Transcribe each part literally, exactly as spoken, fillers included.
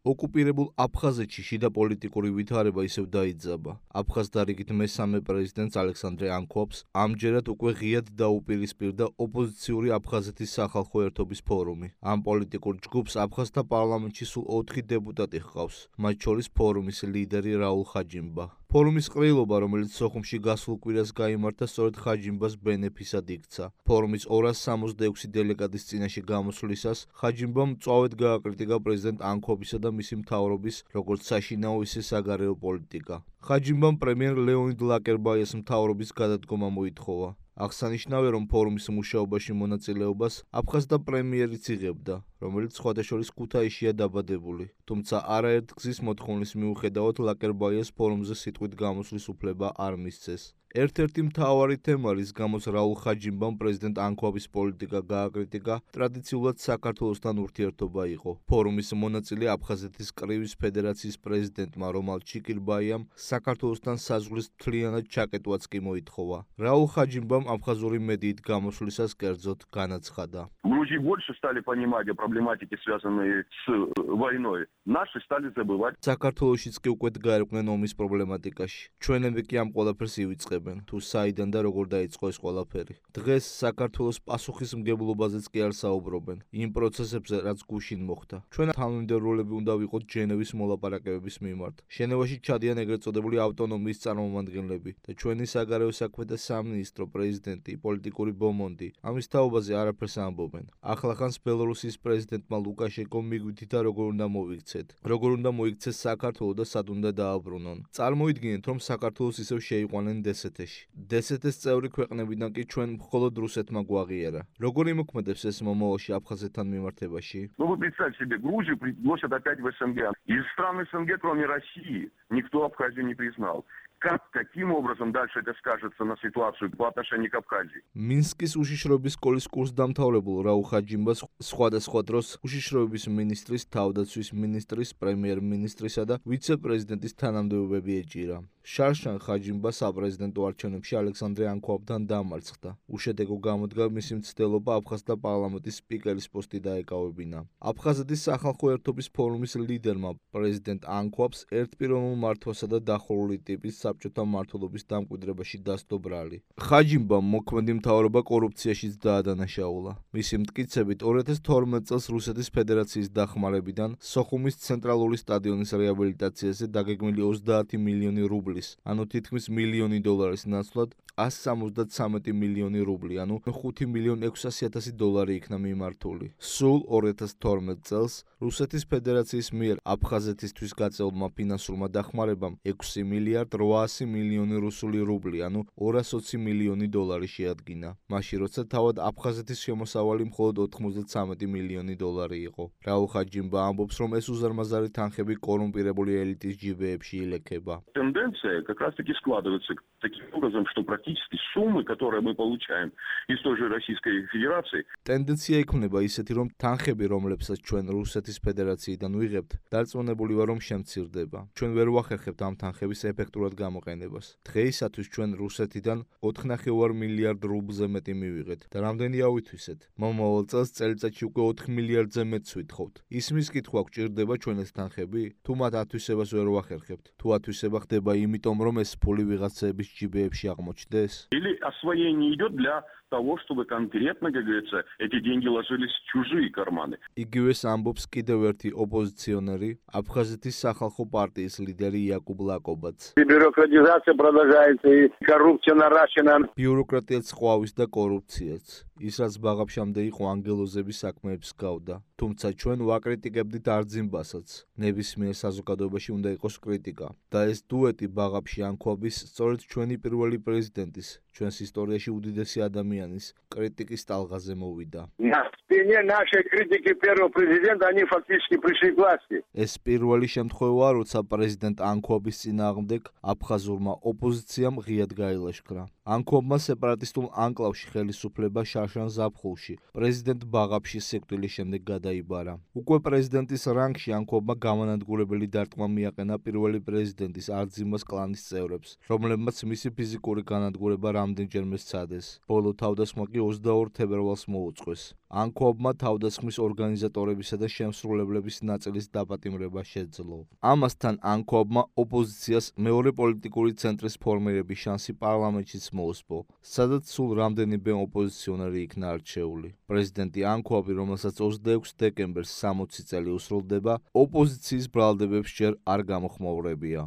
ოკუპირებულ აფხაზეთში შიდა პოლიტიკური ვითარება ისევ დაიძაბა. აფხაზ დარიგით მესამე პრეზიდენტს ალექსანდრე ანქვაბს ამჯერად უკვე ღიად დაუპირისპირდა ოპოზიციური აფხაზეთის სახალხო ერთობის ფორუმი. ამ პოლიტიკურ ჯგუფს აფხაზთა პარლამენტში სულ ოთხი დეპუტატი ჰყავს, მათ შორის ფორუმის ლიდერი რაულ ხაჯიმბა. ფორუმის ყრილობა, რომელიც სოხუმში გასულ კვირას გაიმართა, სწორედ ხაჯიმბას ბენეფისად იქცა. ფორუმის ორას სამოცდაექვსი დელეგატის წინაშე გამოსვლისას ხაჯიმბამ მწვავედ გააკრიტიკა პრეზიდენტ ანქვაბისა და მისი მთავრობის როგორც საშინაო, ისე საგარეო პოლიტიკა. ხაჯიმბამ პრემიერ ლეონიდ ლაკერბაიას მთავრობის გადადგომა მოითხოვა. აღსანიშნავია, რომ ფორუმის მუშაობაში მონაწილეობას აფხაზთა პრემიერიც იღებდა, რომელიც სხვადასხვა ქუთაისშია დაბადებული. თუმცა არაერთ გზის მოთხოვნის მიუხედავად ლაკერბაიას ფორუმზე სიტყვით გამოსვლის უფლება არ მისცეს. ერთ-ერთი მთავარი თემა, რის გამოც რაულ ხაჯიმბამ პრეზიდენტ ანქვაბის პოლიტიკა გააკრიტიკა, ტრადიციულად საქართველოსთან ურთიერთობა იყო. ფორუმის მონაწილე აფხაზეთის კრივის ფედერაციის პრეზიდენტმა რომალ ჩიკირბაიამ საქართველოსთან საზღვრის მთლიანად ჩაკეტვაც კი მოითხოვა. რაულ ხაჯიმბამ აფხაზური მედიით გამოსვლისას კერძოდ განაცხადა. Грузии больше стали понимать о проблематике, связанной с войной. Наши стали забывать. საქართველოშიც კი უკვე გაერკვნენ ომის პრობლემატიკაში. ჩვენები კი ამ ყველაფერს ივიწყებენ, თუ საიდან და როგორ დაიწყო ეს ყველაფერი. დღეს საქართველოს პასუხისმგებლობაზეც კი არ საუბრობენ, იმ პროცესებზე, რაც გუშინ მოხდა. ჩვენ თანამიმდევრულები უნდა ვიყოთ ჟენევის მოლაპარაკებების მიმართ. ჟენევაში ჩადიან ეგრეთ წოდებული ავტონომიის წარმომადგენლები და ჩვენი საგარეო საქმეთა სამინისტრო, პრეზიდენტი, პოლიტიკური ბომონდი ამის თაობაზე არაფერს ამბობენ. ახლახანს ბელორუსიის პრეზიდენტმა ლუკაშენკომ მიგვითითა როგორ უნდა მოიქცეთ, როგორ უნდა მოიქცეს საქართველო და სად უნდა დააბრუნონ. წარმოიდგინეთ, რომ საქართველოს ისევ შეიყვანენ დსთ-ში. დსთ-ის წევრი ქვეყნებიდან კი ჩვენ მხოლოდ რუსეთმა გვაღიარა. როგორ იმოქმედებს ეს მომავალში აფხაზეთთან მიმართებაში? Ну вы представьте себе, Грузию пригласят опять в СНГ. Из стран СНГ, кроме России, никто Абхазию не признал. Как, каким образом дальше это скажется на ситуацию по отношению к Абхазии? მინსკის უშიშროების სკოლის კურსდამთავრებულ რაულ ხაჯიმბას სხვადასხვა დროს უშიშროების მინისტრის, თავდაცვის მინისტრის, პრემიერ-მინისტრისა და ვიცე-პრეზიდენტის თანამდებობები ეჭირა. შარშან ხაჯიმბა საპრეზიდენტო არჩევნებში ალექსანდრე ანქვაბთან დამარცხდა. უშედეგო გამოდგა მისი მცდელობა აფხაზთა პარლამენტის სპიკერის პოსტი დაეკავებინა. აფხაზეთის სახალხო ერთობის ფორუმის ლიდერმა პრეზიდენტ ანქვაბს ერთპიროვნულ მართვასა და დახურული ტიპის საბჭოთა მმართველობის დამკვიდრებაში დასდო ბრალი. ხაჯიმბამ მოქმედი მთავრობა კორუფციაშიც დაადანაშაულა. მისი მტკიცებით ორი ათას თორმეტ წელს რუსეთის ფედერაციის დახმარებიდან სოხუმის ცენტრალური სტადიონის რეაბილიტაციაზე დაგეგმილი ოცდაათი მილიონი რუბლის, ანუ თითქმის მილიონი დოლარის ნაცვლად ასი სამოცდათვრამეტი მილიონი რუბლი, ანუ ხუთი მილიონი ექვსასი ათასი დოლარი იქნა მიმართული. სულ ორი ათას თორმეტ წელს რუსეთის ფედერაციის მიერ აფხაზეთისთვის გაწეულმა ფინანსურმა დახმარებამ ექვსი მილიარდ რვაასი მილიონი რუსული რუბლი, ანუ ორას ოცი მილიონი დოლარი შეადგინა. მაშინ როცა თავად აფხაზეთის შემოსავალი მხოლოდ ოთხმოცდათვრამეტი მილიონი დოლარი იყო. რაულ ხაჯიმბა ამბობს, რომ ეს უზარმაზარი თანხები коррумпирებული ელიტის ჯიბეებში ილექება. Тенденция как раз-таки складывается таким образом, что практически суммы, которые мы получаем из той же Российской Федерации. Тенденция იქნება ისეთი, რომ თანხები, რომლებსაც ჩვენ რუსეთის ფედერაციიდან ვიღებთ, დარწმუნებული ვარ, რომ შემცირდება. ჩვენ ვერ ვახერხებთ ამ თანხების ეფექტურად გამოყენებას. დღეისათვის ჩვენ რუსეთიდან ოთხნახევარ მილიარდ რუბლზე მეტი მივიღეთ და რამდენი ავითვისეთ? მომავალ წელს წელიწადში უკვე ოთხ მილიარდზე მეტს ვითხოვთ. ისმის კითხვა გვჭირდება ჩვენ ეს თანხები? თუ მათ ათვისებას ვერ ვახერხებთ? თუ ათვისება ხდება იმიტომ, რომ ეს ფული ვიღაცების ჯიბეებში აღმოჩნდეს? Или освоение идет для того, чтобы конкретно, как говорится, эти деньги ложились в чужие карманы. იგივეს ამბობს კიდევ ერთი ოპოზიციონერი, აფხაზეთის სახალხო პარტიის ლიდერი იაკუბ ლაკობაც. Бюрократизация продолжается и коррупция наращена. ბიუროკრატიაც ყვავის და კორუფციაც. ის რაც ბაღაფშამდე იყო ანგელოზების საქმეებს გავდა. თუმცა ჩვენ ვაკრიტიკებდით არძიმბასაც. ნებისმიერ საზოგადოებაში უნდა იყოს კრიტიკა. და ეს დუეტი ბაღაფში ანქვაბის სწორედ ჩვენი პირველი პრეზიდენტის, ჩვენს ისტორიაში უდიდესი ადამიანის კრიტიკის ტალღაზე მოვიდა. На спине нашей критики первого президента они фактически пришли к власти. ეს პირველი შემთხვევაა, როცა პრეზიდენტ ანქვაბის წინააღმდეგ აფხაზურმა ოპოზიციამ ღიად გაილაშქრა. ანქვაბმა სეპარატისტულ ანკლავში ხელისუფლება შარშან ზაფხულში, პრეზიდენტ ბაღაფშის სიკვდილის შემდეგ გადაიბარა. უკვე პრეზიდენტის რანგში ანქვაბმა გამანადგურებელი დარტყმა მიაყენა პირველი პრეზიდენტის არძიმბას კლანის წევრებს, რომლებმაც მისი ფიზიკური განადგურება რამდენჯერმე სცადეს. ბოლო თავდასხმა კი ოცდაორ თებერვალს მოუწყვეს. ანქოაბმა თავდასხმის ორგანიზატორებისა და შემსრულებლების ნაწილის დაპატიმრება შეძლო. ამასთან ანქოაბმა ოპოზიციას მეორე პოლიტიკური ცენტრის ფორმირების შანსი პარლამენტშიც მოუსპო, სადაც სულ რამდენიმე ოპოზიციონერი იქნა არჩეული. პრეზიდენტი ანქოაბი, რომელსაც ოცდაექვსი დეკემბერს სამოცი წელი უსრულდება, ოპოზიციის ბრალდებებს ჯერ არ გამოხმაურებია.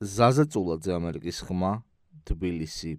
ზაზა წულაძე, ამერიკის ხმა, თბილისი.